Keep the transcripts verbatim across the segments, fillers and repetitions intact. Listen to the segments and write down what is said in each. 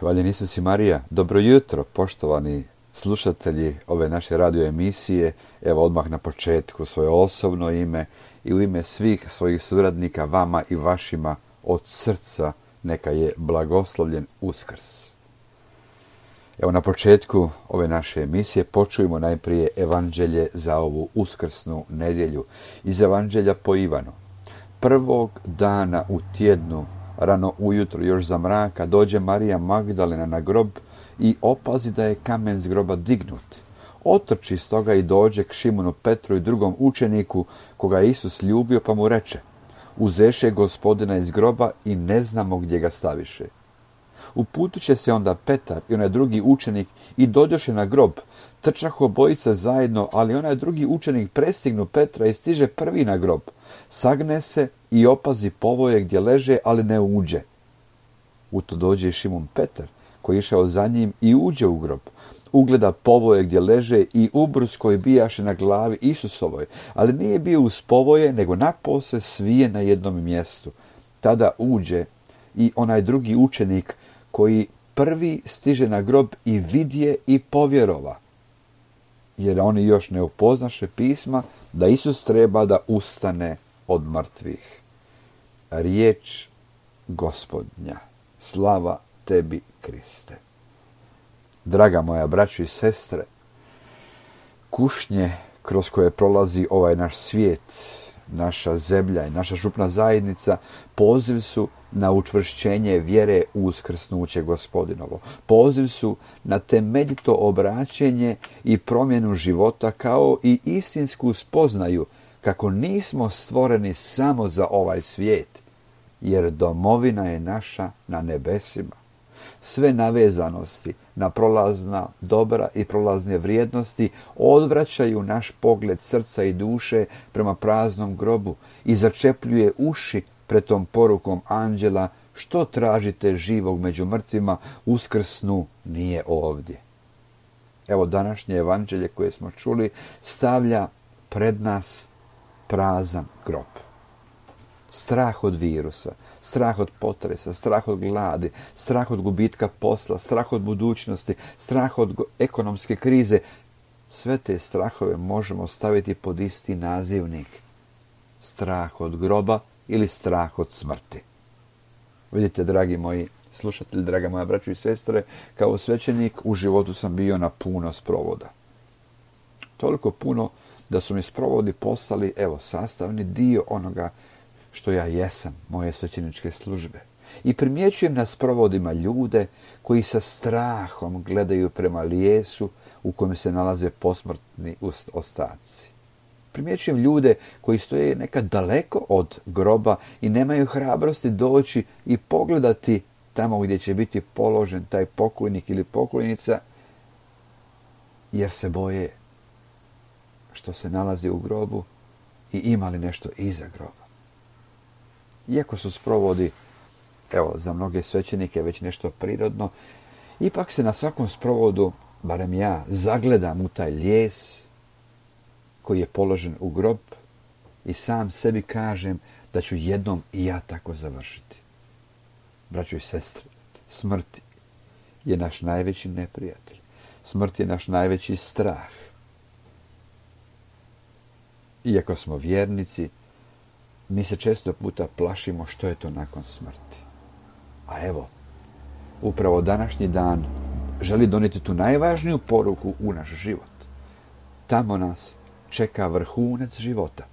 Hvaljen Isus i Marija. Dobro jutro, poštovani slušatelji ove naše radio emisije. Evo odmah na početku svoje osobno ime i u ime svih svojih suradnika, vama i vašima od srca neka je blagoslovljen Uskrs. Evo na početku ove naše emisije počujemo najprije evanđelje za ovu uskrsnu nedjelju iz evanđelja po Ivanu. Prvog dana u tjednu, rano ujutro, još za mraka, dođe Marija Magdalena na grob i opazi da je kamen s groba dignut. Otrči stoga i dođe k Šimunu Petru i drugom učeniku koga je Isus ljubio, pa mu reče: uzeše Gospodina iz groba i ne znamo gdje ga staviše. Uputiše se onda Petar i onaj drugi učenik i dođoše na grob. Trčahu obojica zajedno, ali onaj drugi učenik prestignu Petra i stiže prvi na grob. Sagne se i opazi povoje gdje leže, ali ne uđe. U to dođe Šimun Petar, koji je išao za njim i uđe u grob. Ugleda povoje gdje leže i ubrus koji bijaše na glavi Isusovoj, ali nije bio uz povoje, nego napose svije na jednom mjestu. Tada uđe i onaj drugi učenik koji prvi stiže na grob i vidje i povjerova. Jer oni još ne upoznaše pisma da Isus treba da ustane od mrtvih. Riječ Gospodnja. Slava tebi, Kriste. Draga moja braćo i sestre, kušnje kroz koje prolazi ovaj naš svijet, naša zemlja i naša župna zajednica, poziv su na učvršćenje vjere u uskrsnuće Gospodinovo. Poziv su na temeljito obraćenje i promjenu života, kao i istinsku spoznaju kako nismo stvoreni samo za ovaj svijet, jer domovina je naša na nebesima. Sve navezanosti na prolazna dobra i prolazne vrijednosti odvraćaju naš pogled srca i duše prema praznom grobu i začepljuje uši pred tom porukom anđela: što tražite živog među mrtvima, uskrsnu nije ovdje. Evo današnje evanđelje koje smo čuli stavlja pred nas prazan grob. Strah od virusa, strah od potresa, strah od gladi, strah od gubitka posla, strah od budućnosti, strah od ekonomske krize. Sve te strahove možemo staviti pod isti nazivnik: strah od groba ili strah od smrti. Vidite, dragi moji slušatelji, draga moja braćo i sestre, kao svećenik u životu sam bio na puno sprovoda. Toliko puno da su mi sprovodi postali, evo, sastavni dio onoga što ja jesam, moje svećeničke službe. I primjećujem na sprovodima ljude koji sa strahom gledaju prema lijesu u kojem se nalaze posmrtni ostaci. Primjećujem ljude koji stoje nekad daleko od groba i nemaju hrabrosti doći i pogledati tamo gdje će biti položen taj pokojnik ili pokojnica, jer se boje što se nalazi u grobu i ima li nešto iza groba. Iako su sprovodi, evo, za mnoge svećenike već nešto prirodno, ipak se na svakom sprovodu, barem ja, zagledam u taj lijes koji je položen u grob i sam sebi kažem da ću jednom i ja tako završiti. Braćo i sestre, smrt je naš najveći neprijatelj. Smrt je naš najveći strah. Iako smo vjernici, mi se često puta plašimo što je to nakon smrti. A evo, upravo današnji dan želi donijeti tu najvažniju poruku u naš život. Tamo nas čeka vrhunac života,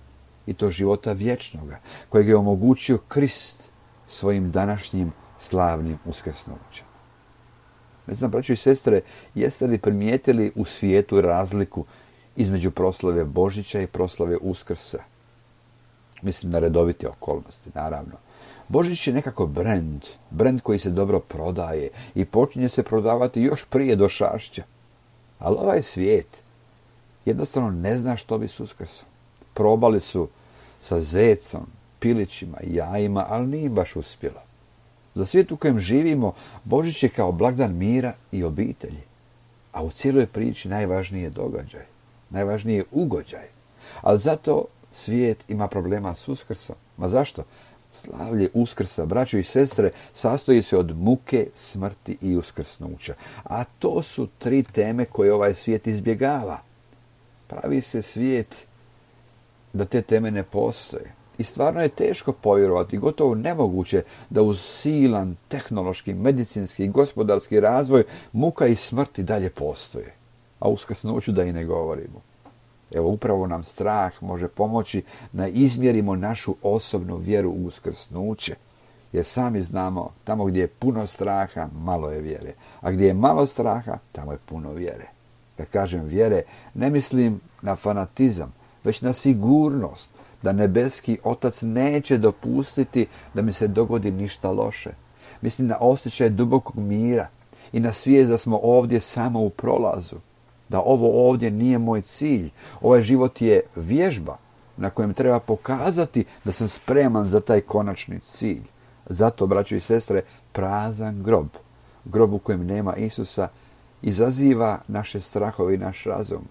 i to života vječnoga, kojeg je omogućio Krist svojim današnjim slavnim uskrsnućem. Ne znam, braćo i sestre, jeste li primijetili u svijetu razliku između proslave Božića i proslave Uskrsa? Mislim na redovite okolnosti, naravno. Božić je nekako brend, brend koji se dobro prodaje i počinje se prodavati još prije došašća. Ali ovaj svijet jednostavno ne zna što bi s Uskrsom. Probali su sa zecom, pilićima, jajima, ali nije baš uspjelo. Za svijet u kojem živimo, Božić je kao blagdan mira i obitelji. A u cijeloj priči najvažniji je događaj, najvažniji je ugođaj. Ali zato svijet ima problema s Uskrsom. Ma zašto? Slavlje Uskrsa, braćo i sestre, sastoji se od muke, smrti i uskrsnuća. A to su tri teme koje ovaj svijet izbjegava. Pravi se svijet da te teme ne postoje. I stvarno je teško povjerovati, gotovo nemoguće da uz silan tehnološki, medicinski i gospodarski razvoj muka i smrti dalje postoje. A uskrsnuću da i ne govorimo. Evo, upravo nam strah može pomoći da izmjerimo našu osobnu vjeru u uskrsnuće. Jer sami znamo, tamo gdje je puno straha, malo je vjere. A gdje je malo straha, tamo je puno vjere. Kad kažem vjere, ne mislim na fanatizam, već na sigurnost da nebeski Otac neće dopustiti da mi se dogodi ništa loše. Mislim na osjećaj dubokog mira i na svijest da smo ovdje samo u prolazu. Da ovo ovdje nije moj cilj. Ovaj život je vježba na kojem treba pokazati da sam spreman za taj konačni cilj. Zato, braćo i sestre, prazan grob, grob u kojem nema Isusa, izaziva naše strahove i naš razum.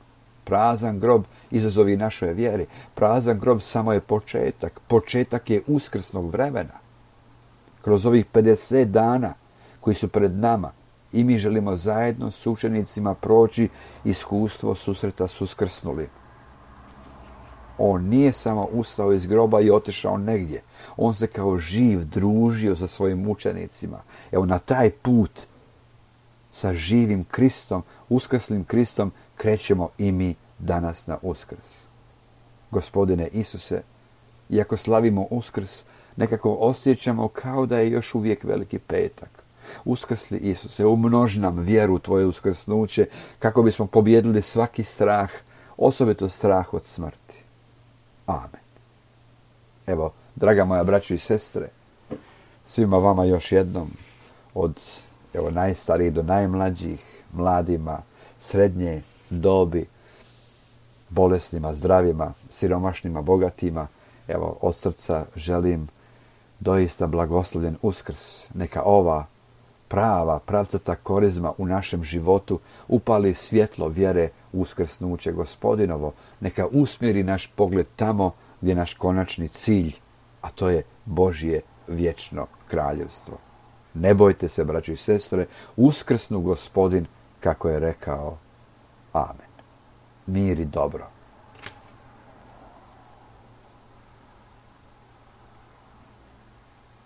Prazan grob izazovi našoj vjeri. Prazan grob samo je početak. Početak je uskrsnog vremena. Kroz ovih pedeset dana koji su pred nama, i mi želimo zajedno s učenicima proći iskustvo susreta s uskrsnulim. On nije samo ustao iz groba i otišao negdje. On se kao živ družio sa svojim učenicima. Evo, na taj put sa živim Kristom, uskrslim Kristom, krećemo i mi danas na Uskrs. Gospodine Isuse, iako slavimo Uskrs, nekako osjećamo kao da je još uvijek Veliki petak. Uskrsli Isuse, umnoži nam vjeru u Tvoje uskrsnuće kako bismo pobijedili svaki strah, osobito strah od smrti. Amen. Evo, draga moja braćo i sestre, svima vama još jednom, od evo, najstarijih do najmlađih, mladima, srednje dobi, bolesnima, zdravima, siromašnima, bogatima, evo, od srca želim doista blagoslovljen Uskrs. Neka ova prava, pravcata korizma u našem životu upali svjetlo vjere u uskrsnuće Gospodinovo. Neka usmjeri naš pogled tamo gdje je naš konačni cilj, a to je Božje vječno kraljevstvo. Ne bojte se, braćo i sestre, uskrsnu Gospodin, kako je rekao. Amen. Mir i dobro.